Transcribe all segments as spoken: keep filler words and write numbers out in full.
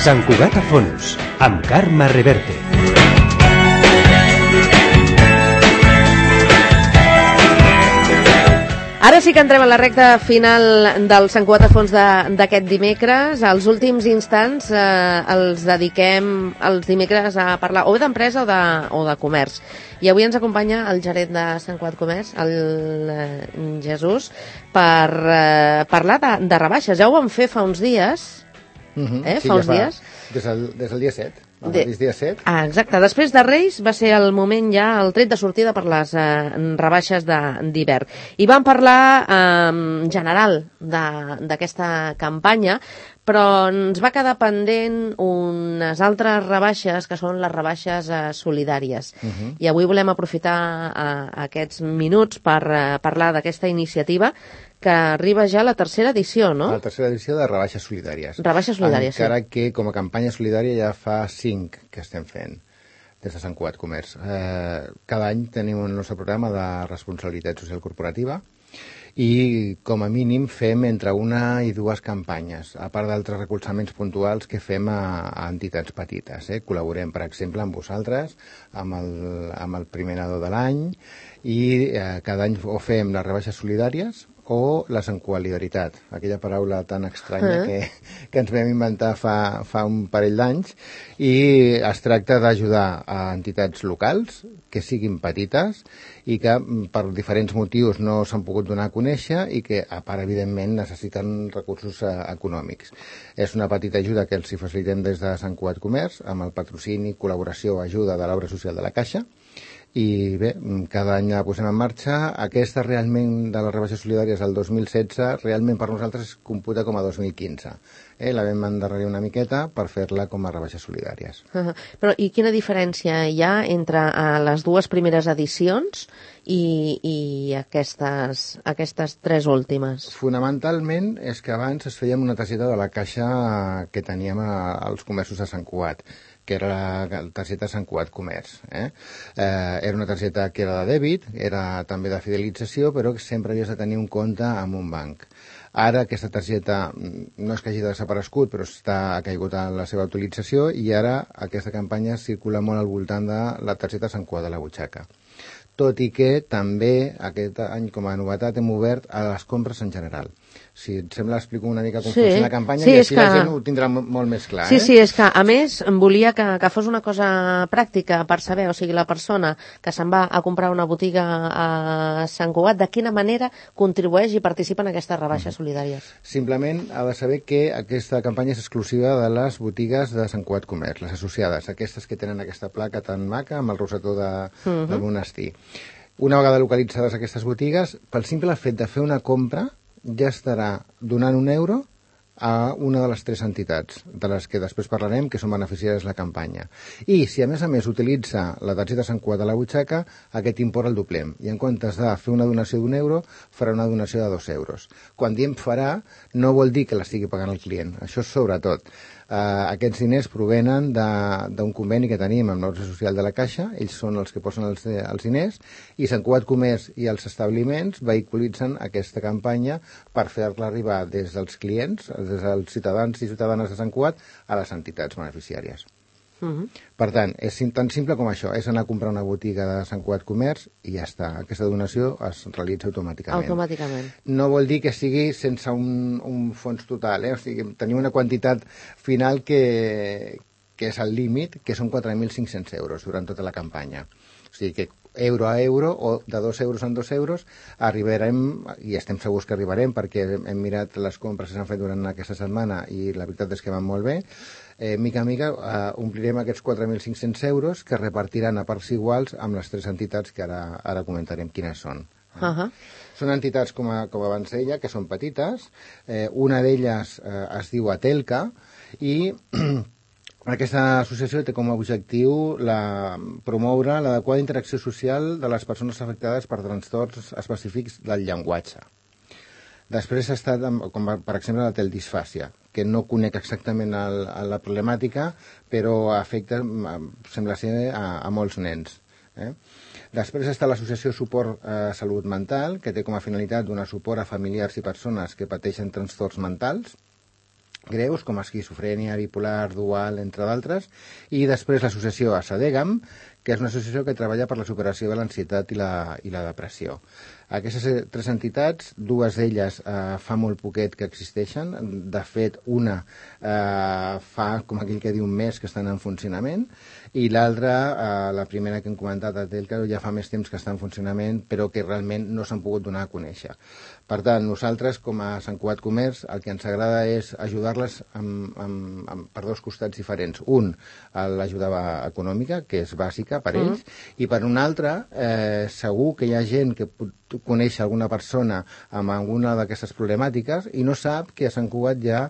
Sant Cugat a fons, amb Carme Reverte. Ara sí que entrem a la recta final del Sant Cugat a fons d'aquest dimecres. Els últims instants eh, els dediquem els dimecres a parlar o d'empresa o, de, o de comerç. I avui ens acompanya el gerent de Sant Cugat Comerç, el eh, Jesús, per eh, parlar de, de rebaixes. Ja ho vam fer fa uns dies, uh-huh. eh? sí, fa ja uns fa, dies. Des del, des del dia set. El De... mateix dia set. Ah, exacte. Després de Reis va ser el moment ja, el tret de sortida per les eh, rebaixes d'hivern. I vam parlar eh, en general d'aquesta campanya, però ens va quedar pendent unes altres rebaixes que són les rebaixes eh, solidàries. Uh-huh. I avui volem aprofitar eh, aquests minuts per eh, parlar d'aquesta iniciativa que arriba ja a la tercera edició, no? La tercera edició de rebaixes solidàries. Rebaixes solidàries, Encara sí. que com a campanya solidària ja fa cinc que estem fent des de Sant Cugat Comerç. Eh, cada any tenim el nostre programa de responsabilitat social corporativa i com a mínim fem entre una i dues campanyes, a part d'altres recolzaments puntuals que fem a, a entitats petites. Eh? Col·laborem, per exemple, amb vosaltres, amb el, amb el primer nadó de l'any, i eh, cada any o fem les rebaixes solidàries o la sancualidaritat, aquella paraula tan estranya uh-huh. que, que ens vam inventar fa, fa un parell d'anys, i es tracta d'ajudar a entitats locals que siguin petites i que per diferents motius no s'han pogut donar a conèixer i que, a part, evidentment, necessiten recursos eh, econòmics. És una petita ajuda que els hi facilitem des de Sant Cugat Comerç, amb el patrocini, col·laboració o ajuda de l'obra social de la Caixa. I bé, cada any la posem en marxa. Aquesta realment de les rebaixes solidàries del dos mil setze realment per nosaltres es computa com a dos mil quinze. Eh, la vam endarrerir una miqueta per fer-la com a rebaixes solidàries. Uh-huh. Però i quina diferència hi ha entre uh, les dues primeres edicions i, i aquestes, aquestes tres últimes? Fonamentalment és que abans es feia una targeta de la Caixa que teníem a, als comerços de Sant Cugat, que era la targeta Sant Cugat Comerç. Eh? Eh, era una targeta que era de dèbit, era també de fidelització, però que sempre havies de tenir un compte amb un banc. Ara aquesta targeta no és que hagi desaparegut, però està, ha caigut en la seva utilització, i ara aquesta campanya circula molt al voltant de la targeta Sant Cugat de la butxaca. Tot i que també aquest any com a novetat hem obert a les compres en general. Si et sembla, explico una mica com sí. funciona la campanya, sí, i així que... la gent ho tindrà molt més clar. Sí, eh? sí, és que a més volia que, que fos una cosa pràctica per saber, o sigui, la persona que se'n va a comprar una botiga a Sant Cugat, de quina manera contribueix i participa en aquestes rebaixes mm-hmm. solidàries. Simplement ha de saber que aquesta campanya és exclusiva de les botigues de Sant Cugat Comerç, les associades, aquestes que tenen aquesta placa tan maca amb el rosetó de, mm-hmm. del monestir. Una vegada localitzades aquestes botigues, pel simple fet de fer una compra, ja estarà donant un euro a una de les tres entitats, de les que després parlarem, que són beneficiàries de la campanya. I si a més a més utilitza la targeta Sant Cugat de la butxaca, aquest import el doblem. I en comptes de fer una donació d'un euro, farà una donació de dos euros. Quan diem farà, no vol dir que l'estigui pagant el client. Això és sobretot. Uh, aquests diners provenen d'un conveni que tenim amb l'Obra Social de la Caixa. Ells són els que posen els, els diners, i Sant Cugat Comerç i els establiments vehiculitzen aquesta campanya per fer-la arribar des dels clients, des dels ciutadans i ciutadanes de Sant Cugat, a les entitats beneficiàries. Uh-huh. Per tant, és tan simple com això, és anar a comprar una botiga de Sant Cugat Comerç i ja està. Aquesta donació es realitza automàticament. Automàticament. No vol dir que sigui sense un, un fons total, eh? O sigui, tenim una quantitat final que, que és el límit, que són quatre mil cinc-cents euros durant tota la campanya. O sigui que euro a euro, o de dos euros en dos euros, arribarem, i estem segurs que arribarem, perquè hem mirat les compres que s'han fet durant aquesta setmana i la veritat és que van molt bé. Eh, mica a mica eh, omplirem aquests quatre mil cinc-cents euros que repartiran a parts iguals amb les tres entitats que ara, ara comentarem quines són. Uh-huh. Són entitats, com, a, com abans deia, que són petites. Eh, una d'elles eh, es diu Atelca, i aquesta associació té com a objectiu la, promoure l'adequada interacció social de les persones afectades per trastorns específics del llenguatge. Després ha estat, com per exemple, la teldisfàsia, que no conec exactament el, la problemàtica, però afecta, sembla ser, a, a molts nens. Eh? Després està l'Associació Suport a Salut Mental, que té com a finalitat donar suport a familiars i persones que pateixen trastorns mentals. greus, com esquizofrènia, bipolar, dual, entre d'altres, i després l'associació ASADEGAM, que és una associació que treballa per la superació de l'ansietat i la, i la depressió. Aquestes tres entitats, dues d'elles eh, fa molt poquet que existeixen, de fet una eh, fa, com aquell que diu, un mes que estan en funcionament, i l'altra, eh, la primera que hem comentat, a Telcaro, ja fa més temps que està en funcionament, però que realment no s'han pogut donar a conèixer. Per tant, nosaltres, com a Sant Cugat Comerç, el que ens agrada és ajudar-les amb, amb, amb, per dos costats diferents. Un, l'ajuda econòmica, que és bàsica per ells, mm. i per un altre, eh, segur que hi ha gent que pot conèixer alguna persona amb alguna d'aquestes problemàtiques i no sap que a Sant Cugat hi ha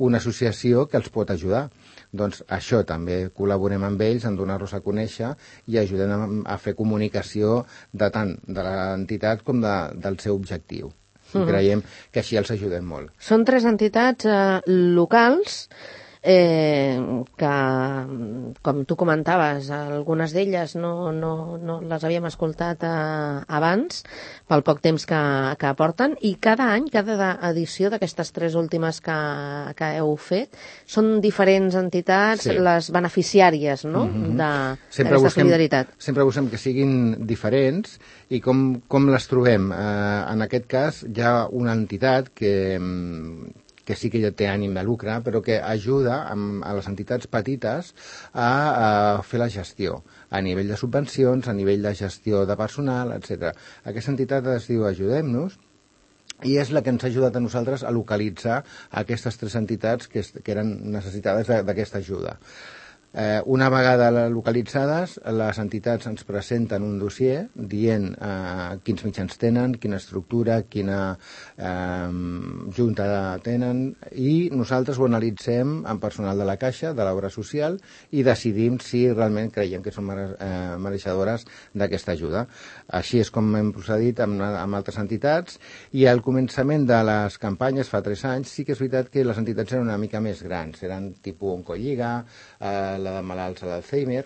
una associació que els pot ajudar. Doncs això també col·laborem amb ells en donar-los a conèixer i ajudem a, a fer comunicació de tant de l'entitat com de, del seu objectiu. I creiem que així els ajudem molt. Són tres entitats eh, locals eh, que, com tu comentaves, algunes d'elles no, no, no les havíem escoltat eh, abans, pel poc temps que, que aporten, i cada any, cada edició d'aquestes tres últimes que, que heu fet, són diferents entitats, sí. les beneficiàries, no?, mm-hmm. d'aquesta solidaritat. Sempre busquem que siguin diferents, i com, com les trobem? Eh, en aquest cas hi ha una entitat que, que sí que ja té ànim de lucre, però que ajuda amb, a les entitats petites a, a fer la gestió, a nivell de subvencions, a nivell de gestió de personal, etcètera. Aquesta entitat es diu Ajudem-nos, i és la que ens ha ajudat a nosaltres a localitzar aquestes tres entitats que, que eren necessitades d'aquesta ajuda. Eh, una vegada localitzades, les entitats ens presenten un dossier dient eh, quins mitjans tenen, quina estructura, quina eh, junta tenen, i nosaltres ho analitzem amb personal de la Caixa, de l'obra social, i decidim si realment creiem que són mere, eh, mereixedores d'aquesta ajuda. Així és com hem procedit amb, amb altres entitats, i al començament de les campanyes, fa tres anys, sí que és veritat que les entitats eren una mica més grans, eren tipus Oncolliga, eh, la de malalts a l'Alzheimer,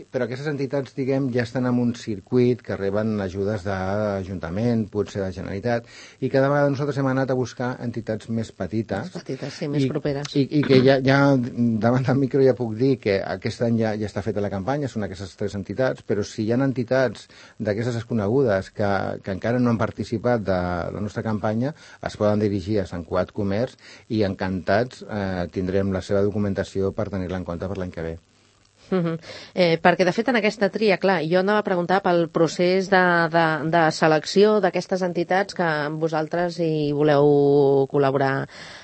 però aquestes entitats, diguem, ja estan en un circuit que reben ajudes d'Ajuntament, potser de Generalitat, i cada vegada nosaltres hem anat a buscar entitats més petites. Més petites, sí, més i, properes. I, i que ja, ja, davant del micro ja puc dir que aquest any ja, ja està feta la campanya, són aquestes tres entitats, però si hi ha entitats d'aquestes desconegudes que, que encara no han participat de la nostra campanya, es poden dirigir a Sant Cugat Comerç i encantats eh, tindrem la seva documentació per tenir-la en compte per l'any que ve. Uh-huh. eh, perquè de fet en aquesta tria, clar, jo anava a preguntar pel procés de, de, de selecció d'aquestes entitats que vosaltres hi voleu col·laborar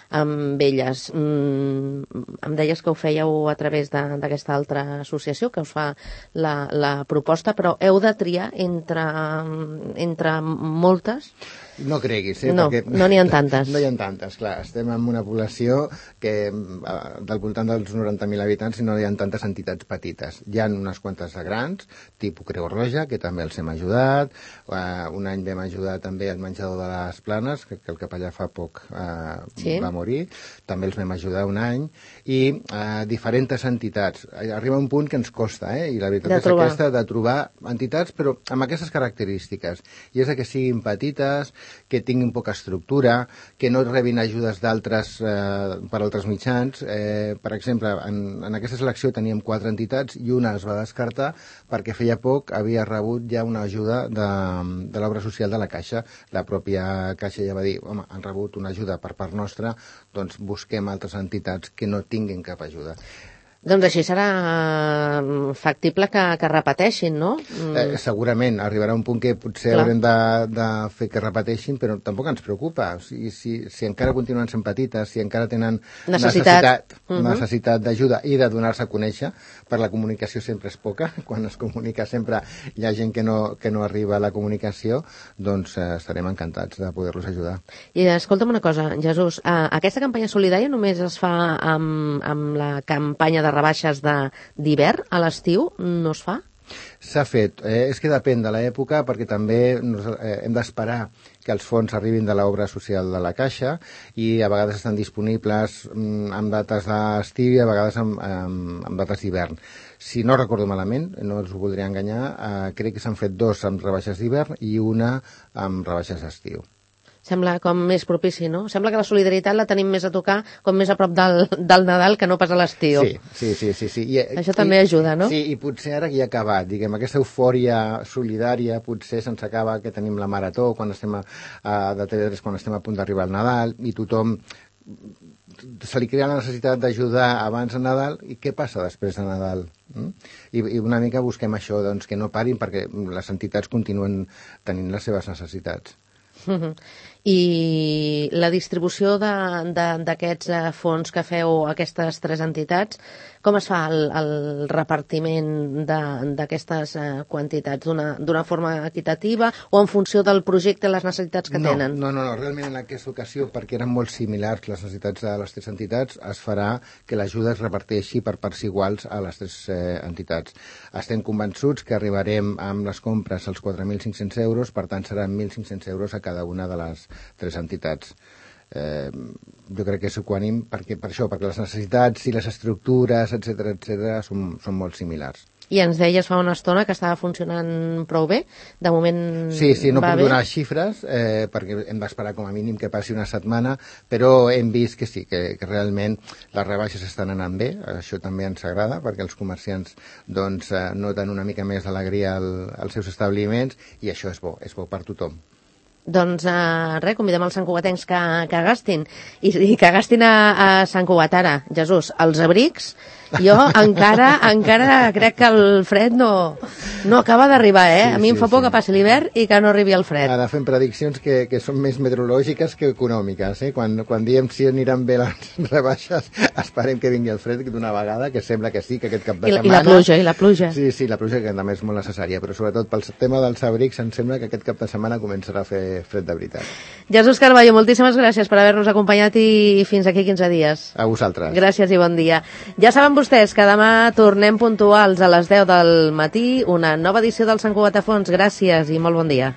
amb elles. Mm, em deies que ho fèieu a través d'aquesta altra associació que us fa la, la proposta, però heu de triar entre, entre moltes? No creguis, eh? No, perquè no n'hi ha tantes. No hi ha tantes, clar. Estem en una població que del voltant dels noranta mil habitants i no hi ha tantes entitats petites. Hi ha unes quantes de grans, tipus Creu Roja, que també els hem ajudat. Uh, un any vam ajudar també al menjador de les Planes, que, que el capellà fa poc uh, sí? va morir. També els vam ajudar un any. I uh, diferents entitats. Arriba un punt que ens costa, eh? I la veritat de és trobar. aquesta, de trobar entitats, però amb aquestes característiques. I és que siguin petites, que tinguin poca estructura, que no rebin ajudes d'altres eh, per altres mitjans. Eh, per exemple, en, en aquesta selecció teníem quatre entitats i una es va descartar perquè feia poc havia rebut ja una ajuda de, de l'obra social de la Caixa. La pròpia Caixa ja va dir, home, han rebut una ajuda per part nostra, doncs busquem altres entitats que no tinguin cap ajuda. Doncs així serà factible que, que repeteixin, no? Mm. Eh, segurament, arribarà un punt que potser Clar. haurem de, de fer que repeteixin, però tampoc ens preocupa. O sigui, si, si encara continuen sent petites, si encara tenen necessitat, necessitat, uh-huh. necessitat d'ajuda i de donar-se a conèixer, per la comunicació sempre és poca, quan es comunica sempre hi ha gent que no, que no arriba a la comunicació, doncs eh, estarem encantats de poder-los ajudar. I escolta'm una cosa, Jesús, eh, aquesta campanya solidària només es fa amb, amb la campanya de rebaixes d'hivern, a l'estiu no es fa? S'ha fet. Eh, és que depèn de l'època, perquè també nos, eh, hem d'esperar que els fons arribin de l'obra social de la Caixa i a vegades estan disponibles mm, amb dates d'estiu i a vegades amb, amb, amb dates d'hivern. Si no recordo malament, no els ho voldria enganyar, eh, crec que s'han fet dos amb rebaixes d'hivern i una amb rebaixes d'estiu. Sembla com més propici, no? Sembla que la solidaritat la tenim més a tocar com més a prop del, del Nadal que no pas a l'estiu. Sí, sí, sí. sí, sí. I, Això també i, ajuda, no? Sí, i potser ara que ja ha acabat, diguem, aquesta eufòria solidària potser se'ns acaba que tenim la marató quan estem a, a, de T V tres quan estem a punt d'arribar al Nadal i tothom se li crea la necessitat d'ajudar abans de Nadal i què passa després de Nadal? Mm? I, I una mica busquem això, doncs, que no parin perquè les entitats continuen tenint les seves necessitats. Uh-huh. I la distribució d'aquests fons que feu a aquestes tres entitats, com es fa el, el repartiment d'aquestes quantitats? D'una forma equitativa o en funció del projecte i les necessitats que no, tenen? No, no, no, realment en aquesta ocasió, perquè eren molt similars les necessitats de les tres entitats, es farà que l'ajuda es reparteixi per parts iguals a les tres eh, entitats. Estem convençuts que arribarem amb les compres als quatre mil cinc-cents euros, per tant seran mil cinc-cents euros a cada una de les tres entitats. Eh, jo crec que és equànim perquè, per això, perquè les necessitats i les estructures, etcètera, etcètera, són, són molt similars. I ens deies fa una estona que estava funcionant prou bé. De moment sí, sí, no va puc bé. donar xifres eh, perquè hem d'esperar com a mínim que passi una setmana, però hem vist que sí, que, que realment les rebaixes estan anant bé. Això també ens agrada perquè els comerciants doncs, eh, noten una mica més d'alegria al, als seus establiments i això és bo, és bo per tothom. Doncs uh, res, convidem els santcugatencs que, que gastin i, i que gastin a, a Sant Cugat ara, Jesús, els abrics. Jo encara encara crec que el fred no, no acaba d'arribar, eh? Sí, a mi em fa sí, por sí. que passi l'hivern i que no arribi el fred. Ara fem prediccions que, que són més meteorològiques que econòmiques, eh? Quan, quan diem si aniran bé les rebaixes, esperem que vingui el fred d'una vegada, que sembla que sí, que aquest cap de I la, setmana... I la pluja, i la pluja. Sí, sí, la pluja que també és molt necessària, però sobretot pel tema dels abrics em sembla que aquest cap de setmana començarà a fer fred de veritat. Jesús Carballo, moltíssimes gràcies per haver-nos acompanyat i fins aquí quinze dies. A vosaltres. Gràcies i bon dia. Ja saben vostès que demà tornem puntuals a les deu del matí, una nova edició del Sant Cugat a Fons. Gràcies i molt bon dia.